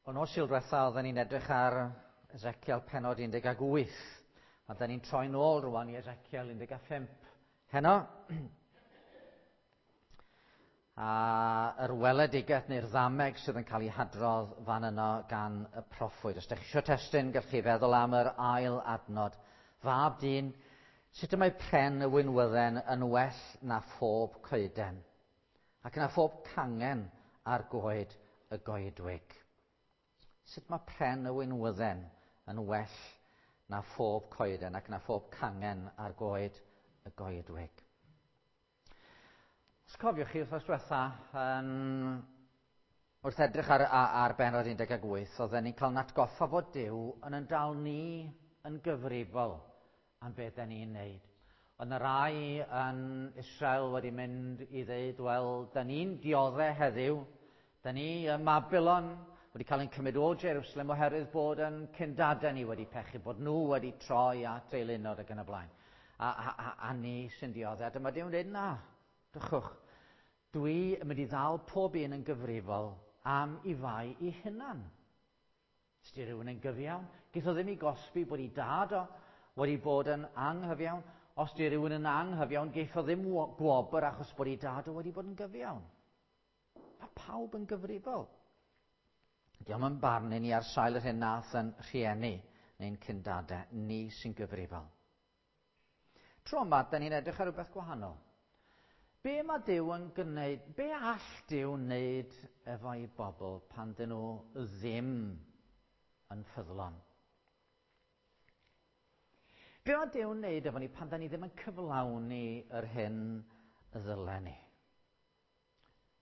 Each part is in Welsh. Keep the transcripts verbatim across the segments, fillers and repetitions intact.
O nos Sul diwetha oedden ni'n edrych ar Ezekiel pennod un deg wyth, a da ni'n troi nôl rwan i Ezekiel un deg pump heno. A yr weledigaeth neu'r ddameg sydd yn cael ei hadrodd fan yno gan y proffwyd. Os ydych chi eisiau testun, gallwch chi feddwl am yr ail adnod. Fab dyn, sut y mae pren y winwydden yn well na phob coeden, ac na phob cangen ar goed y goedwig? Sut mae pren y winwydden yn well na phob coeden ac na phob cangen ar goed y goedwig? Os cofiwch chi wythnos diwetha, yn, wrth edrych ar, ar, ar bennod un deg wyth, oedden ni'n cael natgoffa fod Duw yn yn dal ni yn gyfrifol am beth da ni'n neud. Oedd yna rai yn Israel wedi mynd i ddeud, wel, da ni'n dioddef heddiw, da ni ym Mabilon wedi cael ein cymryd o Jerusalem oherwydd bod yn cyndadau ni wedi pechu, bod nhw wedi troi at eilunod ac yn y blaen. A, a, a, a ni sy'n dioddef. A dyma Duw'n dweud, na, drychwch, dwi yn mynd i ddal pob un yn gyfrifol am i fai i hunan. Os di rhywun yn gyfiawn, geith o ddim i gosbi bod i dad o wedi bod yn anghyfiawn. Os di rhywun yn anghyfiawn, geith o ddim gwobr achos bod i dad o wedi bod yn gyfiawn. Mae pawb yn gyfrifol. Diolch yn barnu ni ar sail yr hyn nath yn rhieni neu'n cyndadau, ni sy'n gyfrifol. Tro yma, da ni'n edrych ar rhywbeth gwahanol. Be mae Duw yn gwneud, be all Duw wneud efo'i bobl pan dyn nhw ddim yn ffyddlon? Be mae Duw yn wneud efo ni pan da ni ddim yn cyflawni yr hyn ddylen ni?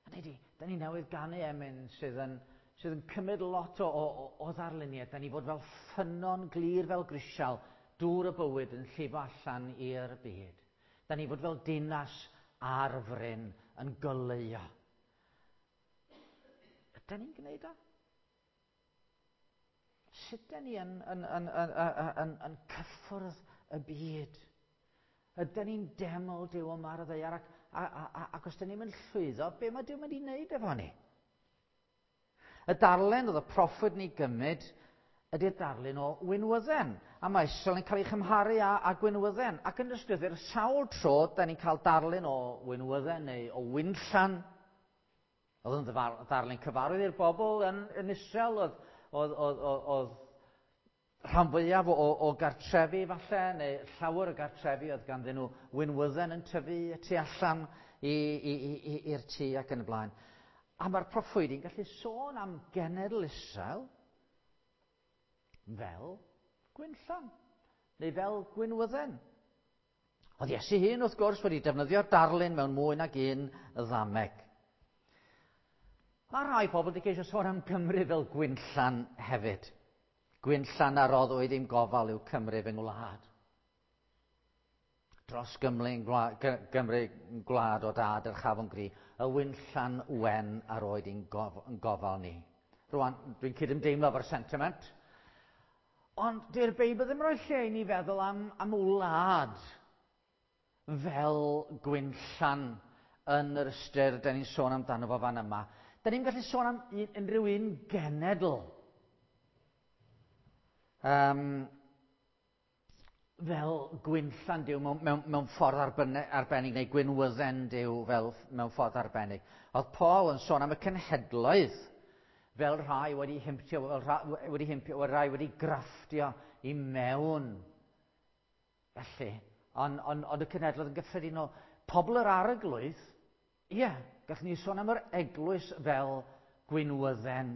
A ni, da ni newydd ganu emyn sydd yn, sydd yn cymryd lot o, o, o ddarluniau. Da ni fod fel ffynnon glir fel grisial, dŵr y bywyd yn llifo allan i'r byd. Da ni fod fel dinas ar fryn yn goleuo. Ydy ni'n gwneud o? Sut da ni yn, yn, yn, yn, yn, yn, yn cyffwrdd y byd? Ydy ni'n deml Duw yma ar y ddaear ac, a, a, a, ac os da ni'n mynd llwyddo, be mae Duw mynd i wneud efo ni? Y darlun oedd y proffwyd ni gymryd ydy'r darlun o winwydden. A mae Israel yn cael ei chymharu â, â gwinwydden. Ac yn ysgrythur, sawl tro, da ni'n cael darlun o winwydden neu o winllan. Oedd yn ddarlun cyfarwydd i'r bobl yn, yn Israel. Oedd, oedd, oedd, oedd, oedd rhan fwyaf o, o gartrefi falle, neu llawer o gartrefi oedd ganddyn nhw winwydden yn tyfu y tu allan i'r tŷ ac yn y blaen. A mae'r proffwydi'n gallu sôn am genedl Israel fel gwinllan, neu fel gwinwydden. Oedd Iesu hun, wrth gwrs, wedi defnyddio'r darlun mewn mwy nag un ddameg. Mae rhai pobl wedi ceisio sôn am Gymru fel gwinllan hefyd. Gwinllan a roddwyd i'm gofal yw Cymru fy ngwlad. Dros Gymru, Gymru gwlad o dad yr chafon gri, y winllan wen a roed i'n gof, gofal ni. Rwan, dwi'n cydymdeimlo efo'r sentiment. Ond dy'r Beibl ddim rhoi lle i ni feddwl am, am wlad fel gwinllan yn yr ystyr da ni'n sôn amdano fo fan yma. Da ni'n gallu sôn am un, unrhyw un genedl. Um, fel gwinllan Duw mewn, mewn, mewn ffordd arbennig, neu gwinwydden Duw fel mewn ffordd arbennig. Oedd Paul yn sôn am y cenhedloedd fel rhai wedi himpio, fel rhai wedi himpio, fel rhai wedi grafftio i mewn. Felly, ond on, on y cenhedloedd yn gyffredinol, pobl yr arglwydd, ie, yeah, gallwn ni sôn am yr eglwys fel gwinwydden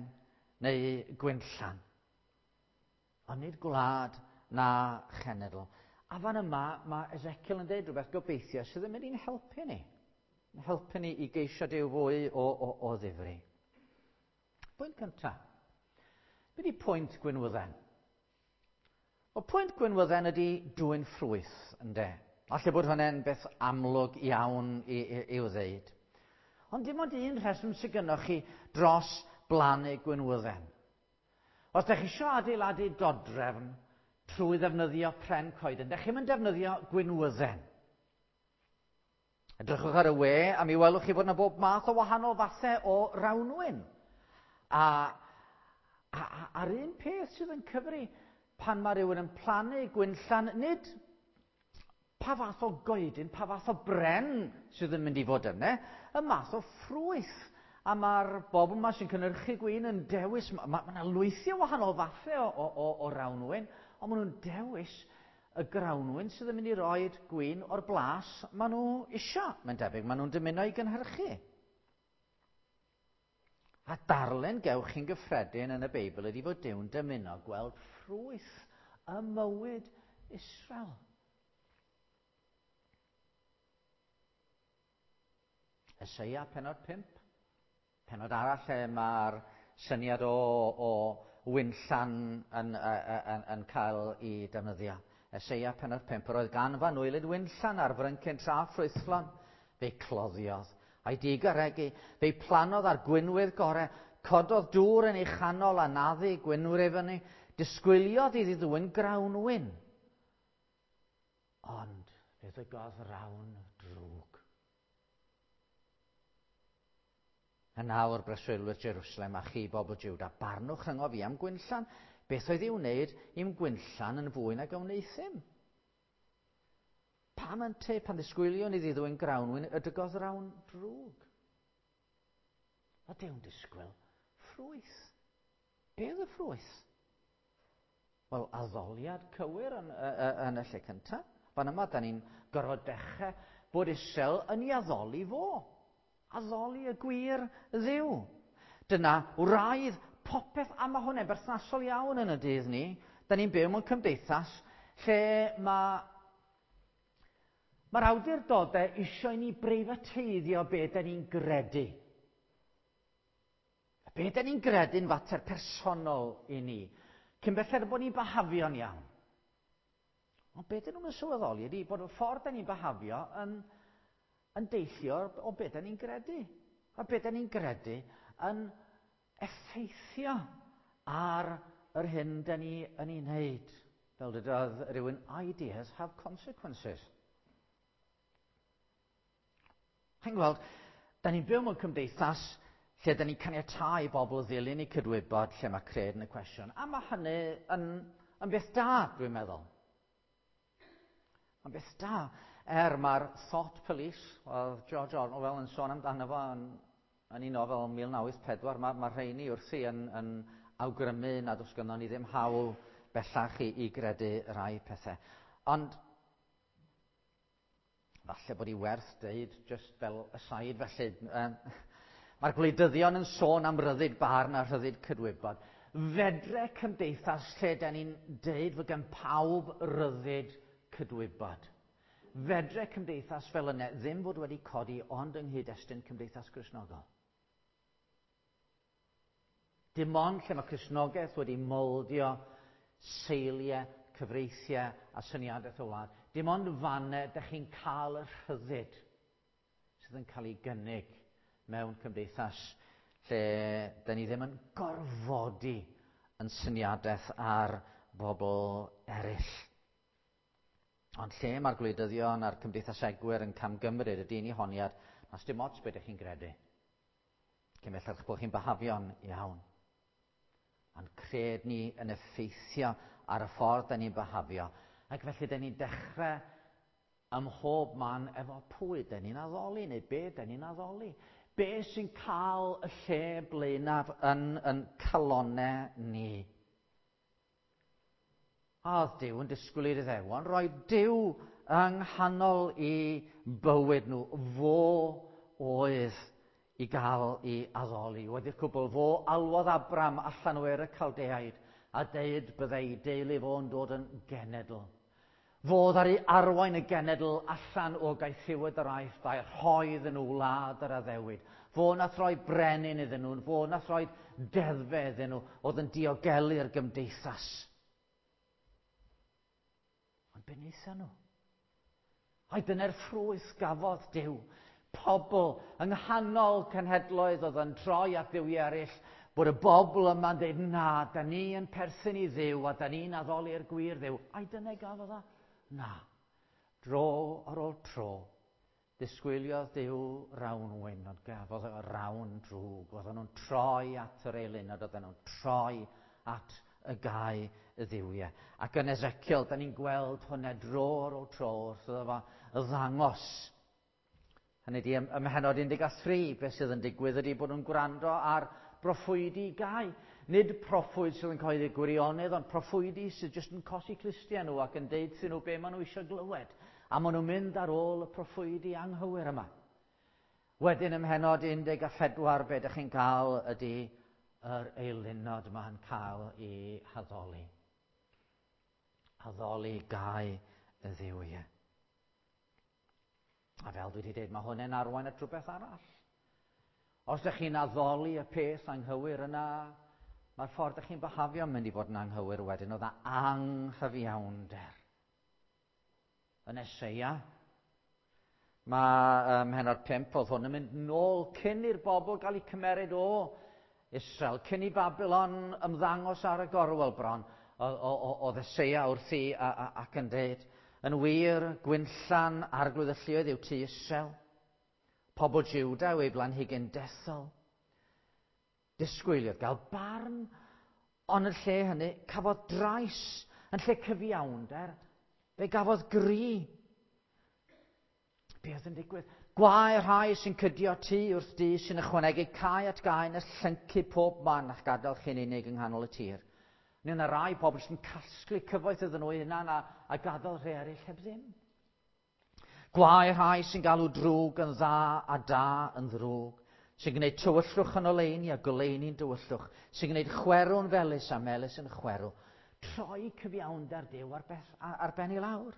neu gwinllan. Ond nid gwlad na chenedl. A fan yma, mae Ezekiel yn dweud rhywbeth gobeithio sydd yn mynd i'n helpu ni. Yn helpu ni i geisio Duw fwy o, o, o ddifri. Pwynt cyntaf. Be di pwynt gwinwydden? Wel, pwynt gwinwydden ydy dwyn ffrwyth, ynde? Alle bod hwnna'n beth amlwg iawn i, i, i'w ddeud. Ond dim ond un rheswm sydd gynnoch chi dros blannu gwinwydden. Os ydych chi eisiau adeiladu dodrefn trwy ddefnyddio pren coeden, ydych chi'n defnyddio gwinwydden. Edrychwch ar y we a mi welwch chi fod yna bob math o wahanol fathau o rawnwyn. A, A, a, a'r un peth sydd yn cyfri pan mae rhywun yn plannu gwinllan, nid pa fath o goedyn, pa fath o bren sydd yn mynd i fod yna, y math o ffrwyth. A mae'r bobl yma sy'n cynhyrchu gwin yn dewis, mae ma, ma yna lwythi o wahanol fathau o, o, o, o rawnwin, ond maen nhw'n dewis y grawnwin sydd yn mynd i roed gwin o'r blas maen nhw isio, mae'n debyg, maen nhw'n dymuno i gynhyrchu. A darllen gewch chi'n gyffredin yn y Beibl ydy fod Duw'n dymuno gweld ffrwyth y mywyd Israel. Eseia pennod pump. Pennod arall lle mae'r syniad o, o winllan yn, yn, yn cael ei defnyddio. Eseia pennod pump. Yr oedd gan fanwylyd winllan ar fryncyn tra ffrwythlon. Fe'i cloddiodd a'i digaregu. Fe'i plannodd ar gwinwydd gore. Cododd dŵr yn ei chanol a naddu gwinwyr i fyny. Disgwyliodd iddi ddwyn grawnwin. Ond fe ddygodd rawn drwg. Yn awr breswylwyr Jerusalem a chi bobl Juda, barnwch rhyngo fi am gwinllan. Beth oedd i'w wneud i'm gwinllan yn fwy nag a wneuthum? Pam ynte pan ddisgwylion iddi ddwyn grawnwin y dygodd rawn drwg? A Dew'n disgwyl ffrwyth. Be oedd y ffrwyth? Wel, addoliad cywir yn, yn y lle cyntaf. Fan yma, da ni'n gorfod dechrau bod Israel yn ei addoli fo. Addoli y gwir Dduw. Dyna wraidd popeth, a mae hwnna'n berthnasol iawn yn y dydd ni. Da ni'n byw mewn cymdeithas lle mae mae'r awdurdodau eisiau i ni breifateiddio be da ni'n gredu. Be da ni'n gredu'n fater personol i ni. Cyn belled bod ni'n bahafio'n iawn. Ond be dyn nhw'n sylweddoli ydy bod y ffordd da ni'n bahafio yn, yn deillio o be da ni'n gredu. A be da ni'n gredu yn effeithio ar yr hyn da ni yn ei wneud. Fel dydodd rhywun, ideas have consequences. Chi'n gweld, da ni'n byw mewn cymdeithas lle da ni'n caniatáu i bobl ddilyn eu cydwybod lle mae cred yn y cwestiwn. A mae hynny yn, yn beth da, dwi'n meddwl. Mae'n beth da. Er mae'r thought police, oedd George Orwell yn sôn amdano fo yn, yn ei nofel mil naw wyth pedwar, mae, mae rheini wrthi yn, yn awgrymu nad oes gynnon ni ddim hawl bellach i, i gredu rai pethau. Ond falle bod hi werth deud, just fel aside felly, um, mae'r gwleidyddion yn sôn am ryddid barn a rhyddid cydwybod. Fedre cymdeithas lle da ni'n deud fod gan pawb ryddid cydwybod. Fedre cymdeithas fel yna ddim fod wedi codi ond yng nghyd-destun cymdeithas Gristnogol. Dim ond lle mae Cristnogaeth wedi moldio seiliau, cyfreithiau a syniadaeth o wlad. Dim ond fanne dych chi'n cael y rhyddid sydd yn cael ei gynnig mewn cymdeithas lle da ni ddim yn gorfodi yn syniadaeth ar bobl eraill. Ond lle mae'r gwleidyddion a'r cymdeithasegwyr yn camgymryd ydy ni honiad, nas dim ots beth ydych chi'n gredu. Cyn belled bod chi'n bahafio'n iawn. Ond cred ni yn effeithio ar y ffordd da ni'n bahafio. Ac felly da ni'n dechrau ym mhob man efo pwy da ni'n addoli neu be da ni'n addoli. Be sy'n cael y lle blaenaf yn, yn calonau ni? A oedd Duw yn disgwyl i'r Iddewon roi Duw yng nghanol i bywyd nhw. Fo oedd i gael ei addoli. Wedi'r cwbl, fo alwodd Abram allan o Ur y Caldeaid a deud byddai ei deulu fo'n dod yn genedl. Fo ddaru arwain y genedl allan o gaethiwed yr Aifft a'i rhoi iddyn nhw wlad yr addewid. Fo nath roi brenin iddyn nhw, fo nath roi deddfau iddyn nhw, oedd yn diogelu'r gymdeithas. Ond be wnaethon nhw? Ai dyna'r ffrwyth gafodd Duw. Pobl yng nghanol cenhedloedd oedd yn troi at dduwiau eraill, bod y bobl yma'n dweud, na, da ni yn perthyn i Dduw a da ni'n addoli'r gwir Dduw. Ai dyna gafodd o? Na. Dro ar ôl tro, disgwyliodd Duw rawn wyn, ond gafodd o rawn drwg. Oedden nhw'n troi at yr eilunod, oedden nhw'n troi at y gau y ddiwiau. Ac yn Ezekiel, da ni'n gweld hwnna dro ar ôl tro wrth iddo fo ddangos. Hynny ydi, ym mhennod un deg tri, beth sydd yn digwydd ydy bod nhw'n gwrando ar broffwydi gau. Nid proffwyd sydd yn cyhoeddi gwirionedd, ond proffwydi sydd jyst yn cosi clustiau nhw ac yn deud iddyn nhw be maen nhw eisiau glywed. A maen nhw'n mynd ar ôl y proffwydi anghywir yma. Wedyn ym mhennod un deg pedwar, be ydych chi'n cael ydy yr eilunod yma'n cael ei haddoli. Addoli gau y ddiwiau. A fel dwi wedi dweud, mae hwn yn arwain at rhywbeth arall. Os ydych chi'n addoli y peth anghywir yna, mae'r ffordd ydych chi'n byhafio yn mynd i fod yn anghywir wedyn, oedd anghyfiawnder. Yn Eseia, mae ym mhennod pump, oedd hwn yn mynd nôl cyn i'r bobl gael eu cymeryd o Israel, cyn i Babylon ymddangos ar y gorwel bron, oedd Eseia wrthi ac yn dweud, yn wir, gwynllan arglwydd y lluoedd yw tŷ Israel, pobl Juda yw ei blanhigyn dethol. Disgwyliodd gael barn, ond yn lle hynny cafodd drais, yn lle cyfiawnder, fe gafodd gri. Be oedd yn digwydd? Gwae rhai sy'n cydio tŷ wrth dŷ, sy'n ychwanegu cae at gae nes llyncu pob man a'ch gadael chi'n unig yng nghanol y tir. Neu yna rai pobl sy'n casglu cyfoeth iddyn nhw hunan a, a gadael rhai eraill heb ddim. Gwae rhai sy'n galw drwg yn dda a da yn ddrwg, sy'n gwneud tywyllwch yn oleuni a goleuni'n dywyllwch, sy'n gwneud chwerw'n felys a melys yn chwerw. Troi cyfiawnder Duw ar, beth, ar ben i lawr.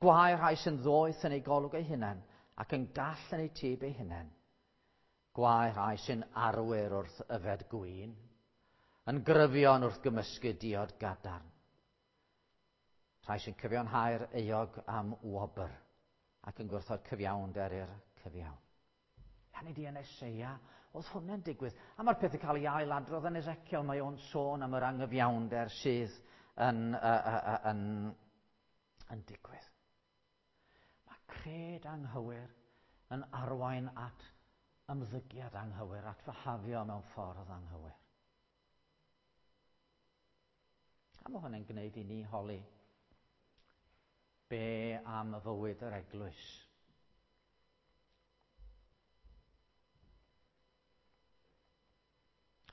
Gwae rhai sy'n ddoeth yn eu golwg eu hunain ac yn gall yn eu tyb eu hunain. Gwae rhai sy'n arwyr wrth yfed gwin, yn gryfion wrth gymysgu diod gadarn. Rhai sy'n cyfiawnhau'r euog am wobr ac yn gwrthod cyfiawnder i'r cyfiawn. Hynny di yn Eseia, oedd hwnna'n digwydd. A mae'r peth yn cael ei ailadrodd yn Ezekiel, mae o'n sôn am yr anghyfiawnder sydd yn, uh, uh, yn, yn digwydd. Mae cred anghywir yn arwain at ymddygiad anghywir, at fyhafio mewn ffordd anghywir. A mae hwnna'n gwneud i ni holi be am y fywyd yr eglwys.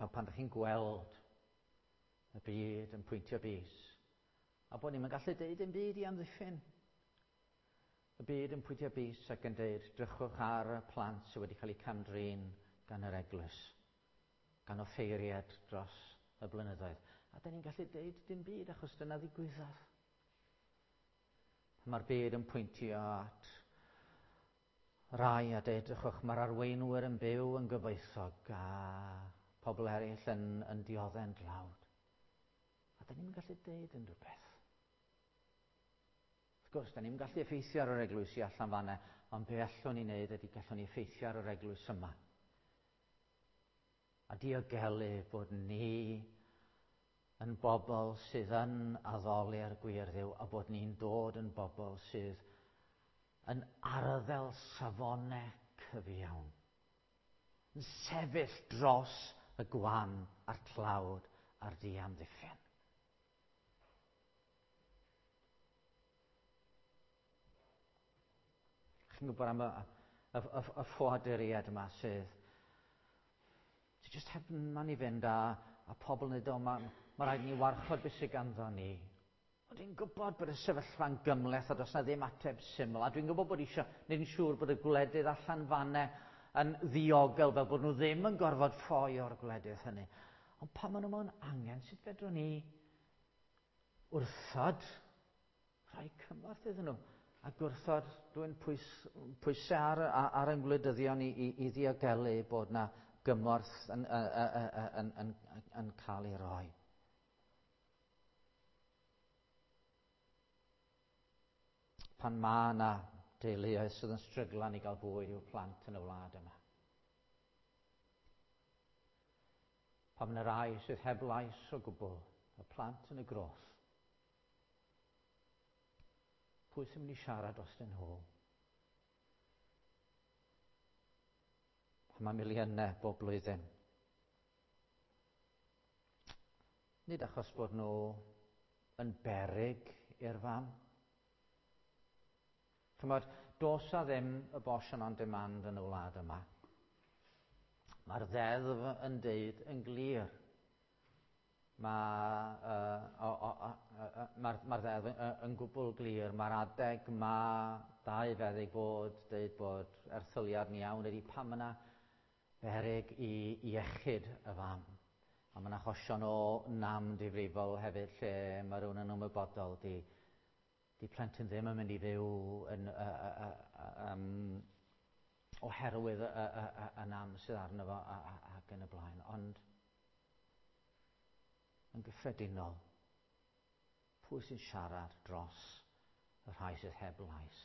A pan ydych chi'n gweld y byd yn pwyntio bys, a bod ni'n gallu deud dim byd i amddiffyn. Y byd yn pwyntio bys ac yn deud, drychwch ar y plant sydd wedi cael eu cam-drin gan yr eglwys, gan offeiriad dros y blynyddoedd. A da ni'n gallu deud dim byd achos dyna ddigwyddodd. Mae'r byd yn pwyntio at rai a deud, drychwch, mae'r arweinwyr yn byw yn gyfoethog a pobl eraill yn, yn dioddef'n dlawd. A da ni'n gallu deud unrhyw beth. Wrth gwrs, da ni'n gallu effeithio ar yr eglwysi allan fanna, ond be allwn ni wneud ydy gallwn ni effeithio ar yr eglwys yma. A diogelu bod ni yn bobl sydd yn addoli'r gwir Dduw a bod ni'n dod yn bobl sydd yn arddel safonau cyfiawn. Yn sefyll dros y gwan a'r tlawd a'r diamddiffyn. Chi'n gwybod am y, y, y, y ffoaduriaid yma sydd sydd jyst heb man i fynd a, a pobl yn dweud, o, mae ma rhaid ni warchod beth sydd ganddo ni. Ond dwi'n gwybod bod y sefyllfa'n gymhleth a does na ddim ateb syml. A dwi'n gwybod bod eisiau gwneud yn siŵr bod y gwledydd allan fanne yn ddiogel fel bod nhw ddim yn gorfod ffoi o'r gwledydd hynny. Ond pan maen nhw mewn angen, sut fedrwn ni wrthod rhoi cymorth iddyn nhw a gwrthod dwi'n pwys, pwysau ar, ar, ar ein gwleidyddion i, i, i ddiogelu bod na gymorth yn, yn, yn, yn, yn, yn cael ei roi. Pan mae yna deuluoedd sydd yn stryglan i gael bwyd i'w plant yn y wlad yma. Pan mae yna rai sydd heb lais o gwbl, y plant yn y groth. Pwy sy'n mynd i siarad dros nhw? Pan mae miliynau bob blwyddyn Nid achos bod nhw yn beryg i'r fam. Chymod, does 'na ddim abortion on demand yn y wlad yma. Mae'r ddeddf yn deud yn glir. Mae'r uh, mae'r ma ddeddf yn, yn gwbl glir. Mae'r adeg mae dau feddyg fod deud bod erthyliad yn iawn ydy pan yna beryg i iechyd y fam. A mae'n achosion o nam difrifol hefyd lle mae rhywun yn ymwybodol di, di plentyn ddim yn mynd i fyw yn, uh, uh, uh, um, oherwydd y, y, y, y nam sydd arno fo ac yn y blaen. Ond yn gyffredinol, pwy sy'n siarad dros y rhai sydd heb lais?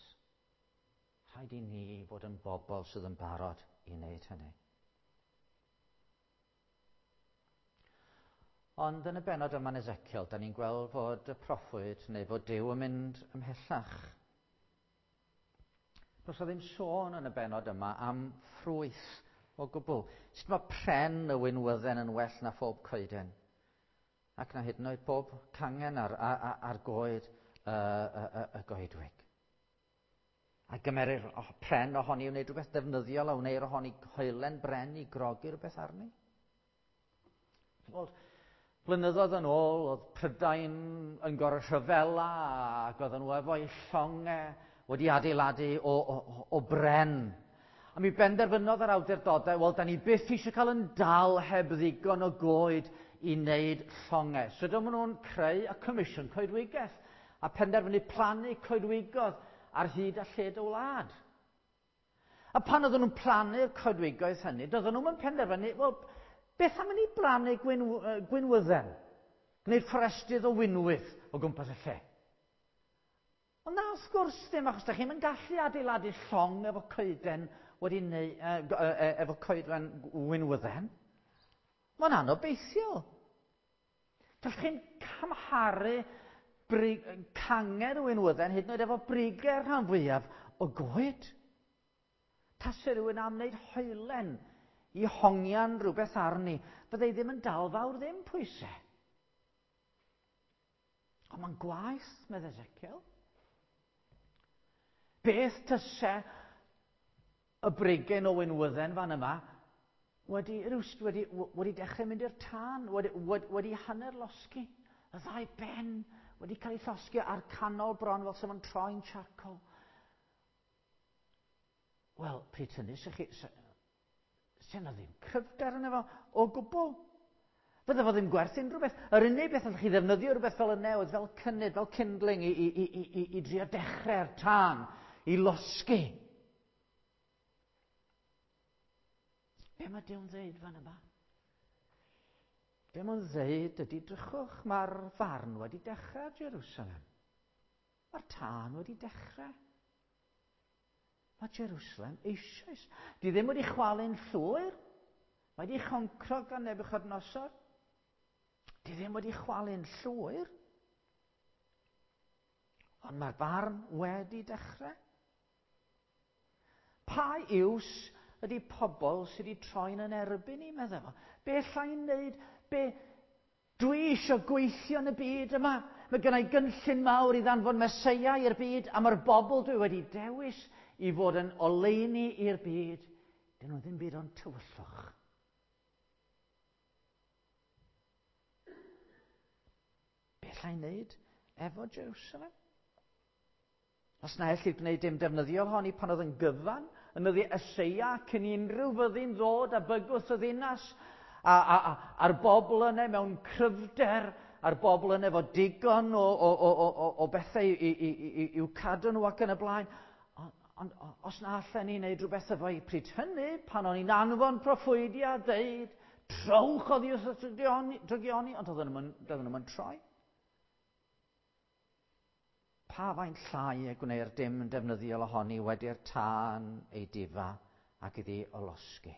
Rhaid i ni fod yn bobl sydd yn barod i wneud hynny. Ond yn y bennod yma yn Ezekiel, da ni'n gweld fod y proffwyd neu fod Duw yn mynd ymhellach. Does o ddim sôn yn y bennod yma am ffrwyth o gwbl. Sut mae pren y winwydden yn well na phob coeden? Ac na hyd yn oed bob cangen ar, ar, ar goed y, y, y, y goedwig. A gymerir pren ohoni i wneud rhywbeth defnyddiol a wneir ohoni hoelen bren i grogi rhywbeth arni. Wel, blynyddoedd yn ôl, oedd Prydain yn gorau rhyfela ac oedden nhw efo'u llongau wedi adeiladu o, o, o bren. A mi benderfynodd yr awdurdodau, wel, da ni byth eisiau cael yn dal heb ddigon o goed i wneud llongau. So dyma nhw'n creu y Comisiwn Coedwigaeth a penderfynu plannu coedwigoedd ar hyd a lled y wlad. A pan oedden nhw'n plannu'r coedwigoedd hynny, doedden nhw'n penderfynu, wel, beth am i ni blannu gwyn, gwynwydden? Gwneud fforestydd o winwydd o gwmpas y lle. Ond na, wrth gwrs ddim, achos da chi'n gallu adeiladu llong efo coeden wedi neu, uh, efo coedwen winwydden. Mae'n anobeithiol. Dych chi'n camharu brig, cangen o winwydden hyd yn oed efo brigau'r rhan fwyaf o goed. Tase rhywun am wneud hoelen i hongian rhywbeth arni, byddai ddim yn dal fawr ddim pwysau. Ond mae'n gwaith, medd Ezekiel. Beth tyse y brigyn o winwydden fan yma wedi, rwst, wedi, wedi dechrau mynd i'r tân, wedi, wedi, wedi hanner losgi. Y ddau ben wedi cael ei llosgi ar canol bron fel sef yn troi'n charcoal. Wel, pryd hynny, sy chi, sy yna ddim cryfder yna fo o gwbl. Fydde fo ddim gwerth unrhyw beth. Yr unig beth allwch chi ddefnyddio rhywbeth fel y newydd, fel cynnydd, fel kindling i, i, i, i, i drio dechrau'r tân, i losgi. Be mae Duw'n ddeud fan yma? Be mae'n ddeud ydy, drychwch, mae'r farn wedi dechrau Jerusalem. Mae'r tân wedi dechrau. Mae Jerusalem eisoes. Di ddim wedi chwalu'n llwyr. Mae wedi choncro gan Nebuchadnezzar. Di ddim wedi chwalu'n llwyr. Ond mae'r farn wedi dechrau. Pa iws ydy pobl sydd wedi troi'n yn erbyn i, meddwl fo? Be alla i wneud? Be dwi eisiau gweithio yn y byd yma? Mae gen i gynllun mawr i ddanfon Meseia i'r byd, a mae'r bobl dwi wedi dewis i fod yn oleuni i'r byd. Dyn nhw ddim byd ond tywyllwch. Be alla i wneud efo Jerusalem? Os na ellid gwneud dim defnyddiol honni pan oedd yn gyfan, yn nyddi Eseia cyn i unrhyw fyddin ddod a bygwth y ddinas, a, a, a, a'r bobl yna mewn cryfder, a'r bobl yna efo digon o, o, o, o, o bethau i, i, i, i'w cadw nhw ac yn y blaen. Ond os na allan ni wneud rhywbeth efo i pryd hynny, pan o'n i'n anfon proffwydi a ddeud, trowch oddi wrth y drygioni, ond oedden nhw'n troi. Pa faint llai y gwneir dim defnyddiol ohoni wedi'r tân ei difa ac iddi olosgi.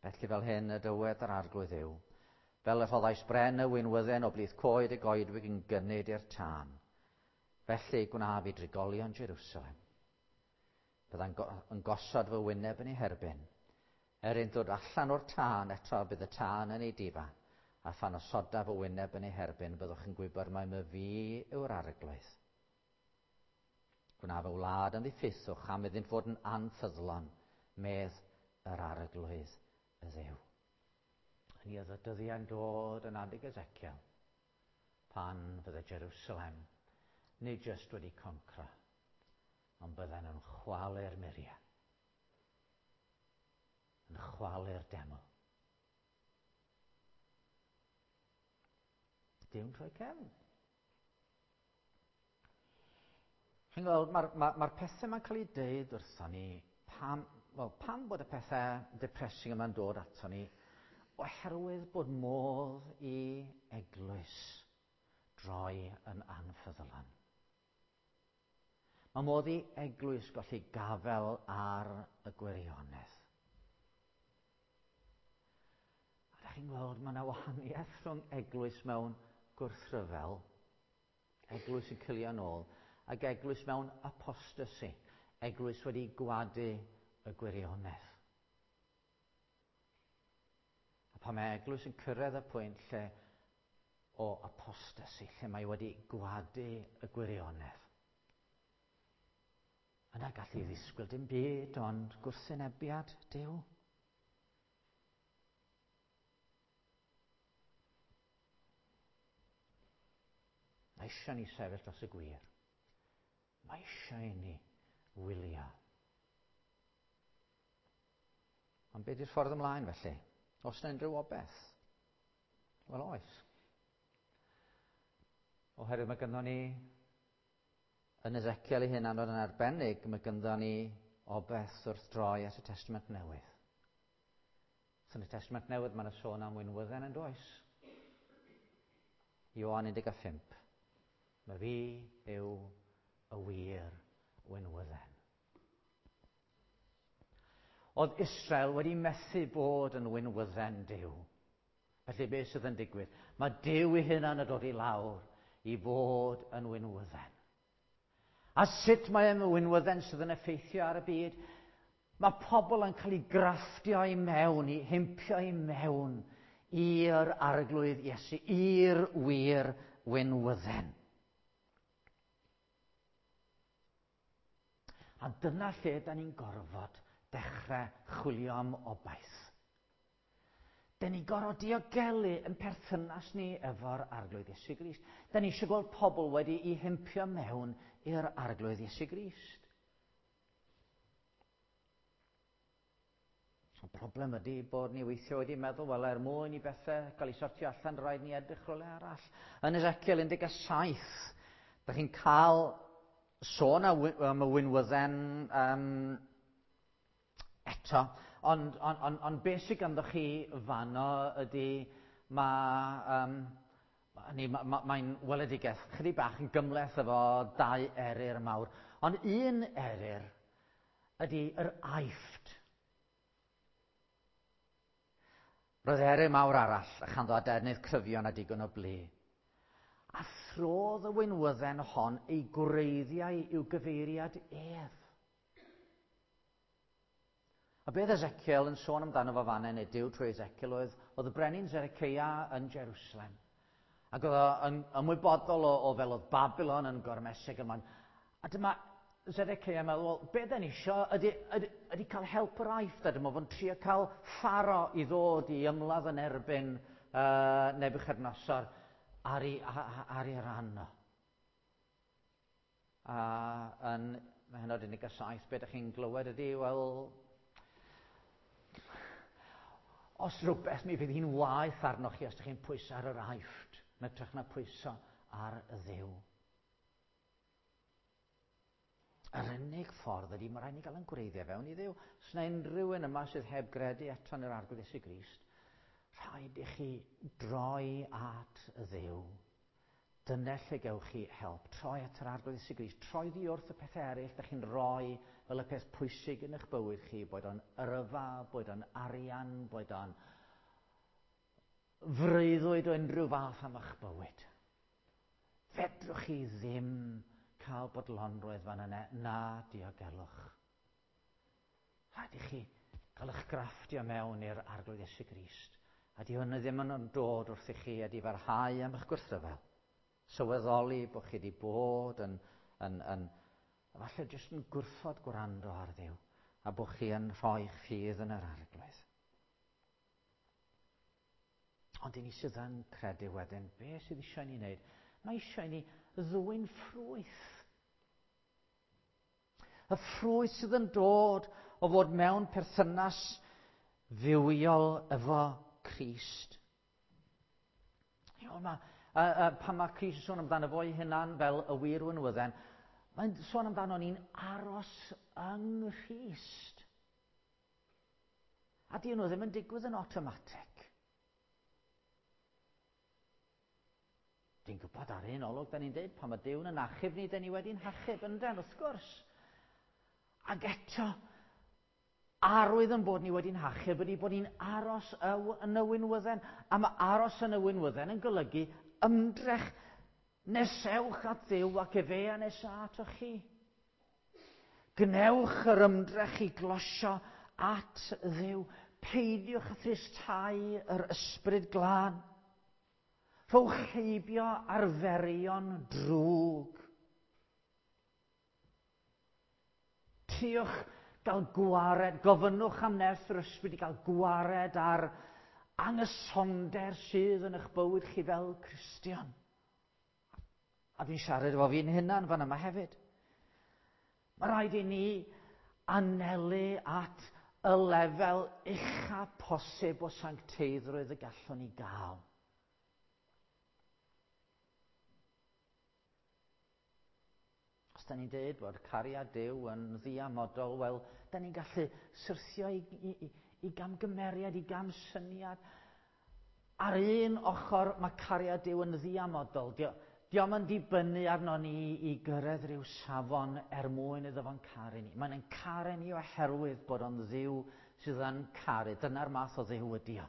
Felly fel hyn y dywed yr Arglwydd yw, fel y rhoddais bren y winwydden o blith coed y goedwig yn gynnud i'r tân. Felly gwnaf i drigolion Jerusalem. Byddai'n go yn gosod fy wyneb yn ei herbyn. Er ein dod allan o'r tân eto bydd y tân yn ei difa, A phan osodaf y wyneb yn ei herbyn, byddwch yn gwybod mai myfi yw'r Arglwydd. Gwnaf y wlad yn ddiffeithwch am iddynt fod yn anffyddlon, medd yr Arglwydd y Dduw. Ni oedd y dyddiau'n dod yn adeg Ezekiel, pan fydde Jerusalem nid jyst wedi concro, ond bydden nhw'n chwalu'r muriau, yn chwalu'r deml. Duw'n troi cefn. Chi'n gweld, mae'r ma, ma pethau mae'n cael eu deud wrthon ni, pam, well, pam bod y pethau depressing yma'n dod ato ni, oherwydd bod modd i eglwys droi yn anffyddlon. Mae modd i eglwys golli gafel ar y gwirionedd. A da chi'n gweld, mae yna wahaniaeth rhwng eglwys mewn gwrthryfel, eglwys yn cilio nôl, ac eglwys mewn apostasy, eglwys wedi gwadu y gwirionedd. A pan mae eglwys yn cyrraedd y pwynt lle o apostasy, lle mae wedi gwadu y gwirionedd, yna gallu ddisgwyl dim byd ond gwrthwynebiad Duw. Mae eisiau ni sefyll dros y gwir. Mae eisiau i ni wylio. Ond beth yw'r ffordd ymlaen felly? Oes yna unrhyw obaith? Wel oes. Oherwydd mae gynnon ni yn Ezekiel ei hunan yn arbennig, mae gynnon ni obaith wrth droi at y Testament Newydd. So yn y Testament Newydd mae yna sôn am winwydden yn does? Ioan un deg pump. Mae fi yw y wir winwydden. Oedd Israel wedi methu bod yn winwydden Duw. Felly beth sydd yn digwydd? Mae Duw ei hunan yn dod i lawr i fod yn winwydden. A sut mae yn winwydden sydd yn effeithio ar y byd? Mae pobl yn cael eu grafftio i mewn, i himpio i mewn i'r Arglwydd Iesu, i'r wir winwydden. A dyna lle da ni'n gorfod dechrau chwilio am obaith. Da ni'n gorfod diogelu yn perthynas ni efo'r Arglwydd Iesu Grist. Da ni eisiau gweld pobl wedi eu himpio mewn i'r Arglwydd Iesu Grist. Y broblem ydy bod ni weithio wedi meddwl, wel, er mwyn i bethau gael eu sortio allan, rhaid ni edrych rhywle arall. Yn Ezekiel un deg saith, da chi'n cael sôn am y winwydden um, eto, ond, ond, ond, ond beth sydd ganddo chi fanno ydy mae, um, ma, ma, mae'n weledigaeth chydig bach yn gymhleth efo dau eryr mawr. Ond un eryr ydy yr Aifft. Roedd eryr mawr arall a chanddo adenydd cryfion a digon o blu. A throdd y winwydden hon ei gwreiddiau i'w gyfeiriad ef. A beth Ezekiel yn sôn amdano fo fanna, neu Duw trwy Ezekiel, oedd, oedd y brenin Zedekiah yn Jerusalem. Ac oedd o'n ymwybodol o, o fel oedd Babylon yn gormesig ymlaen. A dyma Zedekiah yn meddwl, wel, be da ni isio ydy, ydy, ydy cael help yr Aifft, a dyma fo'n trio cael Pharaoh i ddod i ymladd yn erbyn uh, Nebuchadnezzar ar ei, ar ei ran o. A yn mhenod un deg saith, be ydych chi'n glywed ydy, wel, os rhywbeth mi fydd hi'n waeth arnoch chi os ydych chi'n pwyso ar yr Aifft, yn hytrach na pwyso ar y Dduw. Yr unig ffordd ydy, mae rhaid ni gael yn gwreiddiau fewn i Dduw. Os yna unrhyw un yma sydd heb gredu eto yn yr Arglwydd Iesu Grist, rhaid i chi droi at y Dduw. Dyna lle gewch chi help. Troi at yr Arglwydd Iesu Grist. Troi ddi wrth y pethau eraill ydych chi'n rhoi fel y peth pwysig yn eich bywyd chi, boed o'n yrfa, boed o'n arian, boed o'n freuddwyd o unrhyw fath am eich bywyd. Fedrwch chi ddim cael bodlonrwydd fan yna na diogelwch. Rhaid i chi gael eich grafftio mewn i'r Arglwydd Iesu Grist A di hwnna ddim yn dod wrth i chi edifarhau am eich gwrthryfel. Sylweddoli bod chi wedi bod yn, yn, yn, falle jyst yn gwrthod gwrando ar Dduw, a bod chi yn rhoi'ch ffydd yn yr Arglwydd. Ond i ni sydd yn credu wedyn, be sydd eisiau ni wneud? Mae eisiau ni ddwyn ffrwyth. Y ffrwyth sydd yn dod o fod mewn perthynas fywiol efo Crist. Iawn, ma, a, a, pan mae Crist yn sôn amdano fo'i hunan fel y wir winwydden, mae'n sôn amdano ni'n aros yng Nghrist. A di nhw ddim yn digwydd yn automatic. Dwi'n gwybod ar un olwg, da ni'n dweud, pan mae Duw yn achub ni, da ni wedi'n hachub, ynden, wrth gwrs. Ac eto, arwydd yn bod ni wedi'n hachub ydy bod ni'n aros yn y winwydden. A mae aros yn y winwydden yn golygu ymdrech nesewch at Dduw ac efe a nesa atoch chi. Gwnewch yr ymdrech i glosio at Dduw. Peidiwch â thristau yr ysbryd glân. Rhowch heibio arferion drwg. Triwch gael gwared, gofynnwch am nerth yr ysbryd i gael gwared ar angysonder sydd yn eich bywyd chi fel Cristion. A dwi'n siarad efo fi'n hunan fan yma hefyd. Mae rhaid i ni anelu at y lefel ucha posib o sancteiddrwydd y gallwn ni gael. Os da ni'n dweud bod cariad Duw yn ddiamodol, wel, da ni'n gallu syrthio i, i, i gamgymeriad, i gamsyniad. Ar un ochr, mae cariad Duw yn ddiamodol. Dio, dio'm yn dibynnu arno ni i gyrraedd rhyw safon er mwyn iddo fo'n caru ni. Mae'n yn caru ni oherwydd bod o'n Dduw sydd yn caru. Dyna'r math o Dduw ydi o.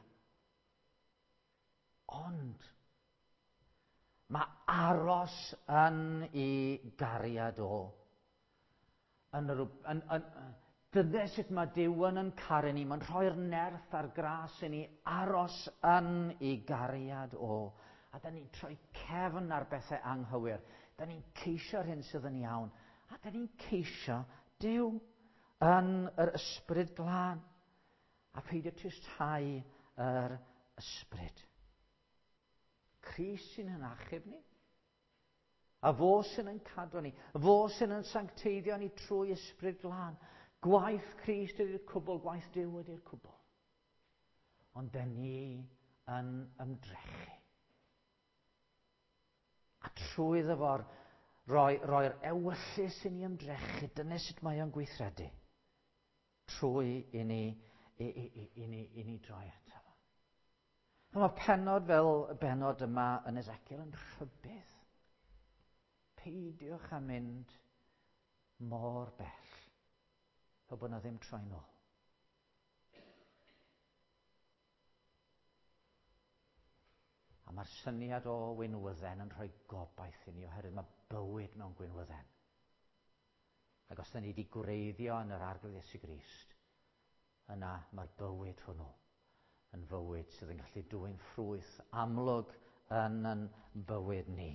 Ond mae aros yn ei gariad o. Yn yr, yn, yn, dyna sut mae Duw yn yn caru ni. Mae'n rhoi'r nerth a'r gras i ni aros yn ei gariad o. A da ni'n troi cefn ar bethau anghywir. Da ni'n ceisio'r hyn sydd yn iawn. A da ni'n ceisio Duw yn yr ysbryd glân. A peidio tristhau yr ysbryd. Crist sy'n yn achub ni. A fo sy'n yn cadw ni. Fo sy'n yn sancteiddio ni trwy ysbryd glân. Gwaith Crist ydy'r cwbl, gwaith Duw ydy'r cwbl. Ond da ni yn ymdrechu. A trwy iddo fo'r roi, roi'r ewyllys i ni ymdrechu, dyna sut mae o'n gweithredu. Trwy i ni, i, i, i, i, ni, i ni droi ato fo. A mae pennod fel y bennod yma yn Ezekiel yn rhybudd. Peidiwch â mynd mor bell, fel bod yna ddim troi nôl. A mae'r syniad o winwydden yn rhoi gobaith i ni, oherwydd mae bywyd mewn gwinwydden. Ac os da ni wedi gwreiddio yn yr Arglwydd Iesu Grist, yna mae'r bywyd hwnnw yn fywyd sydd yn gallu dwyn ffrwyth amlwg yn yn bywyd ni.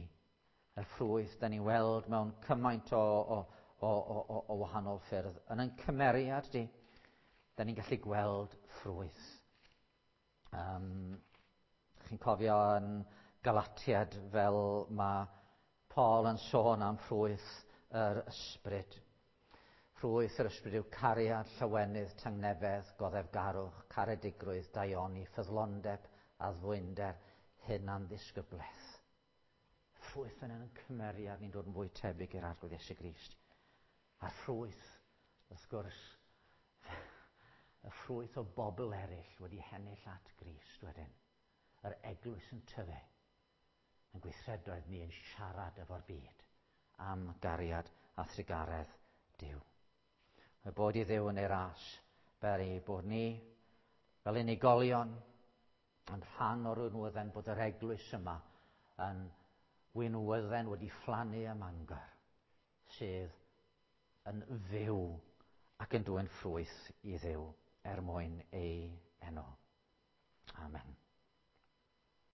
Y ffrwyth da ni'n weld mewn cymaint o, o, o, o, o wahanol ffyrdd. Yn ein cymeriad di, da ni'n gallu gweld ffrwyth. Um, chi'n cofio yn Galatiad fel mae Paul yn sôn am ffrwyth yr ysbryd. Ffrwyth yr ysbryd yw cariad, llawenydd, tangnefedd, goddefgarwch, caredigrwydd, daioni, ffyddlondeb, addfwynder, hunanddisgyblaeth. Ffrwyth yn ein cymeriad ni'n dod yn fwy tebyg i'r Arglwydd Iesu Grist. A'r ffrwyth, wrth gwrs, y ffrwyth o bobl eraill wedi hennill at Grist wedyn. Yr eglwys yn tyfu, yn gweithredoedd ni yn siarad efo'r byd am gariad a thrugaredd Duw. Mae bod i Dduw yn ei ras, beri bod ni fel unigolion yn rhan o'r winwydden, bod yr eglwys yma yn winwydden wedi phlannu ym Mangor, sydd yn fyw ac yn dwyn ffrwyth i Dduw er mwyn ei enw. Amen.